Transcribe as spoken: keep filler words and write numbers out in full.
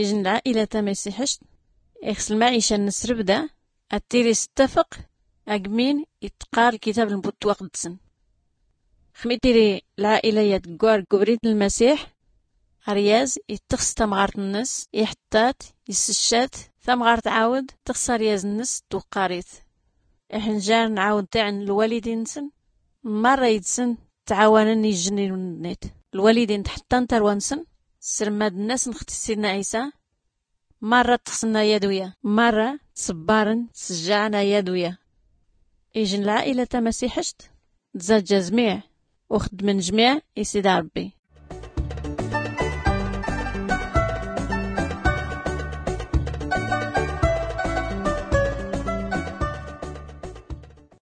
Ijn lɛaila tamasiḥict ixs lmaɛica nsrbda, ad tiri s ttafq agmin ittqar lkitab lmutwaqdsen. Xmi tiri lɛaila yad gwar gubrit lmasiḥ, aryaz ittxs tamɣart nns, iḥttat, isscat, tamɣart tɛawd txs aryaz nns twqqarit. Iḥnjar nɛawd tiɛn lwalidin nsn, marra idsn tɛawann ijn nnit lwalidin tḥttan tarwa nsn, srmad nns nxti sidna ɛisa. Marra txsn ayad uya, marra tsbbarn tsjjɛn ayad uya. Ijn lɛaila tamasiḥict tzaja zmiɛ, uxdmn jmiɛ i sida rbbi.